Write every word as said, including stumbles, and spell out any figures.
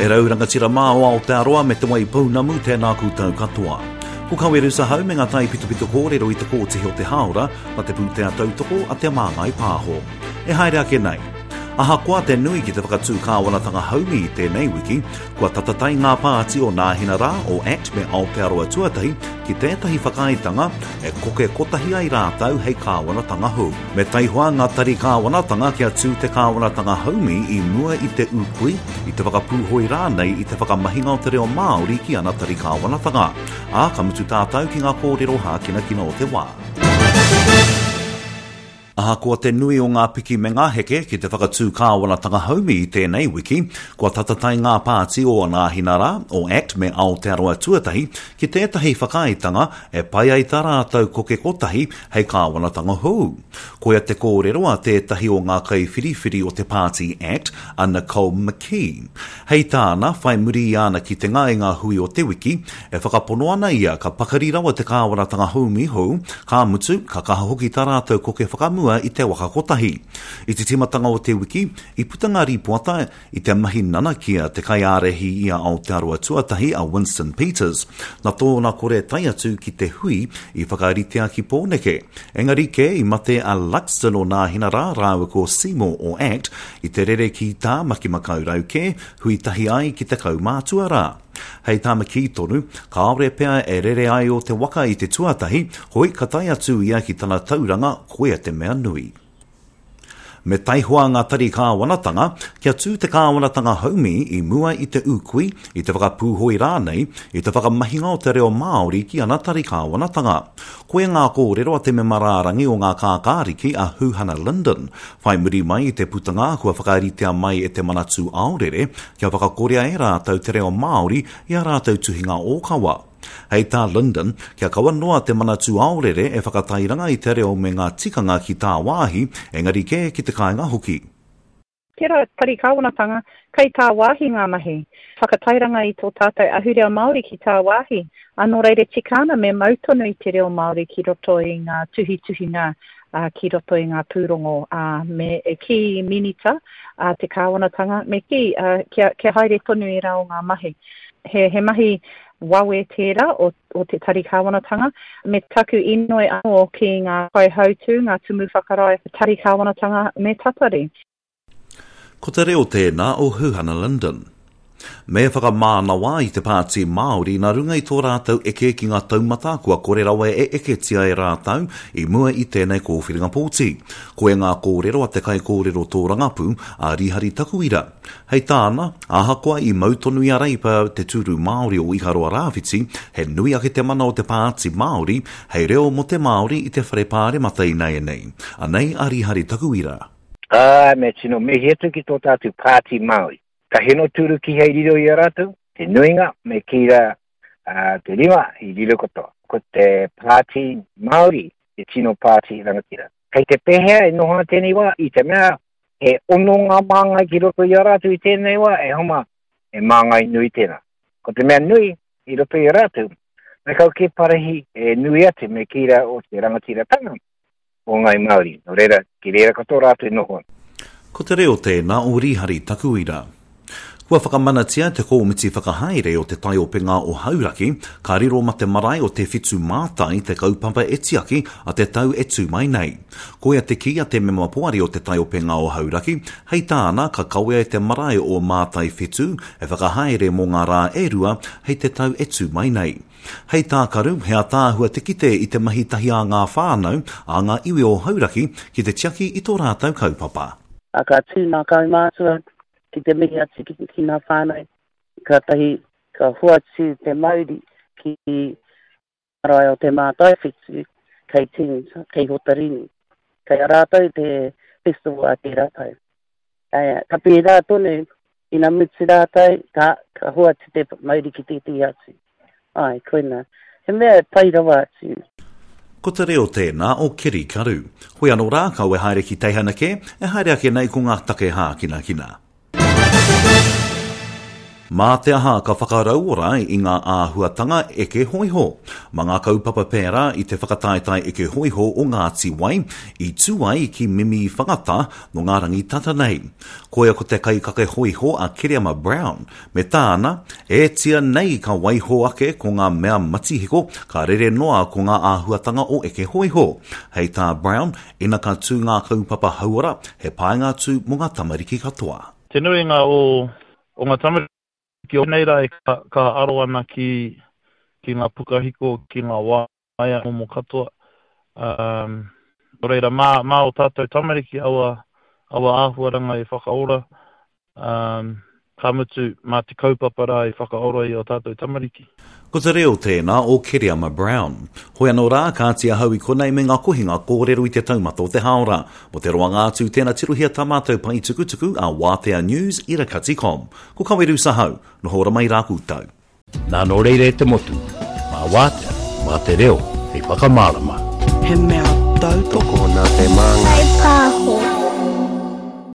E rau rangatira mā o Aotearoa me Te Waipounamu, tēnā koutou katoa. Ko Kaweru Sahau me ngā taipitopito kōrero i te kōtihi o te hāora ma te pūtea tautoko a Te Māngai Pāho. E haere ake nei. Ahakoa te nui ki te whakatū kāwanatanga haumi i tēnei wiki, kua tatatai ngā pāti o Nāhina Rā, o ACT me Aotearoa Tuatahi ki tētahi whakaaetanga e koke kotahi ai rātou hei kāwanatanga hou. Me taihoa ngā tari kāwanatanga kia tū te kāwanatanga haumi i mua i te ūkui, i te whakapūhoi rānei i te whakamahinga o te reo Māori ki ana tari kāwanatanga. Ā, ka mutu tātou ki ngā kōrero hākinakina o te wā. Ahakoa te nui o ngā piki me ngā heke ki te whakatū kāwanatanga haumi i tēnei wiki, kua tatatai ngā pāti o Nāhina Rā, o ACT me Aotearoa Tuatahi ki tētahi whakaaetanga e pai ai tā rātou koke kotahi hei kāwanatanga hou. Koia te kōrero a tētahi o ngā kaiwhiriwhiri o te pāti ACT, a Nicole McKee. Hei tāna, whai muri i ana kitenga i ngā hui o te wiki, e whakapono ana ia ka pakari rawa te kāwanatanga haumi hou, ka mutu, ka kaha hoki tā rātou koke whakamua i te waka kotahi. I te tīmatanga o te wiki, i puta ngā rīpoata i te mahi nanakia te kaiārahi i a Aotearoa Tuatahi a Winston Peters, nā tōna kore tae atu ki te hui i whakaritea ki Pōneke. Engari kē i mate a Luxton o Nāhina Rā rāua ko Seymour o ACT i te rere ki Tāmaki Makaurau kē, hui tahi ai ki te kaumātua rā. Hei tā McKee tonu, kāore pea e rere ai o te waka i te tuatahi, hoi ka tae atu ia ki tana tauranga koia te mea nui. Me taihoa ngā tari kāwanatanga kia tū te kāwanatanga haumi i mua i te ūkui, i te whakapūhoi rānei, i te whakamahinga o te reo Māori ki ana tari kāwanatanga. Koia ngā kōrero a te mema rārangi o ngā kākāriki a Huhana Lyndon. Whai muri mai i te putanga kua whakaritea mai e te Manatū Aorere kia whakakorea e rātou te reo Māori i a rātou tuhinga ōkawa. Hei tā Lyndon, kia kaua noa te Manatū Aorere e whakatairanga i te reo me ngā tikanga ki tāwāhi, engari kē ki te kāinga hoki. Tērā tari kāwanatanga, kei tāwāhi ngā mahi. Whakatairanga i tō tātou ahurea Māori ki tāwāhi. Nō reira tika ana me mau tonu i te reo Māori ki roto i ngā tuhituhinga, uh, ki roto i ngā pūrongo, uh, me e ki minita uh, te kāwanatanga, me ki uh, kia, kia haere tonu i rā o ngā mahi. He, he mahi wawe tērā o, o te tari kāwanatanga, me taku inoi anō ki ngā kaihautū, ngā tumu whakarae tari kāwanatanga me tatari. Ko te reo tēnā o Huhana Lyndon. Me whakamānawa i te pāti Māori nā runga i tō rātou eke ki ngā taumata kua kore rawa e eketia e rātou i mua i tēnei kōwhiringa pōti. Koia ngā kōrero a te kaikōrero tōrangapū a Rihari Takuira. Hei tāna, ahakoa i mau tonu i a Reipa te tūru Māori o Ikaroa Rāwhiti, he nui ake te mana o te pāti Māori hei reo mō te Māori i te whare pāremata ināianei. Anei a Rihari Takuira. Ā, me tino mihi atu ki tō tātou pāti Māori. Ka heno tūru ki hei riro i a rātou, te nuinga me ki rā uh, te rima i riro katoa. Ko te pāti Māori, te tino pāti rangatira. Kei te pēhea e noho ana tēnei wā, i te mea he ono ngā māngai ki roto i a rātou i tēnei wā, e homa, e māngai nui tēnā. Ko te mea nui i roto i a rātou, me kau ke parahi e nui atu me ki rā o te rangatiratanga o Ngai Māori. Nō reira, ki reira katoa rātou e noho ana. Ko te reo tēnā o Rihari Takuira. Kua whakamanatia te kōmiti whakahaere o te taiopenga o Hauraki, ka riro ma te marae o Te Whitu Mātai te kaupapa e tiaki a te tau e tū mai nei. Koia te kī a te mema poari o te taiopenga o Hauraki, hei tāna ka kawea e te marae o Mātai Whetū e whakahaere mō ngā rā e rua hei te tau e tū mai nei. Hei tā Karu, he ataahua te kite i te mahi tahi a ngā whānau, a ngā iwi o Hauraki ki te tiaki i tō rātou kaupapa. A ka tū ngā kaumātua ki te mihi atu ki, ki ngā whānau, ka tahi ka hoatu te mauri ki marae o te Mātai Whetū, kei Tini, kei Hotarini. Kei a rātou te festival a tērā tau. E, ka pērā tonu, ina mutu rātou, ka, ka hoatu te mauri ki tētehi atu. Ai, koina. He mea e pai rawa atu. Ko te reo tēnā o Keri Karu. Hoi anō rā, kau e haere ki teihana kē, e haere ake nei ko ngā take hākinakina. Mā te aha ka whakarauora i ngā āhuatanga eke hōiho. Mā ngā kaupapa pērā i te whakataetae eke hōiho o Ngāti Wai i tū ai ki Mimiwhangata nō ngā rangi tata nei. Koia ko te kaikake hōiho a Kereama Brown, me tāna, e tia nei ka waiho ake ko ngā mea matihiko ka rere noa ko ngā āhuatanga o eke hōiho. Hei tā Brown, ina ka tū ngā kaupapa hauora, he painga atu mō ngā tamariki katoa. Te nuinga o, o ngā tamariki o nei rā e ka, ka aro ana ki, ki ngā pukahiko, ki ngā waea momo katoa. Um, nō reira, mā, mā o tātou tamariki aua, aua āhuaranga e whakaora, um, ka mutu mā te kaupapa rā e whakaora i o tātou tamariki. Ko te reo tēnā o Kereama Brown. Hoi anō rā, kāti ahau i konei me ngā kohinga kōrero i te taumata o te hāora. Mo te roanga atu, tēnā tirohia tā mātou pae tukutuku a Wātea News irakati com. Ko Kaweru Sahau, noho ora mai rā koutou. Nā nō reira e te motu, mā wātea, mā te reo, hei whakamārama. He mea tautoko Tokona te māngai. Pāho.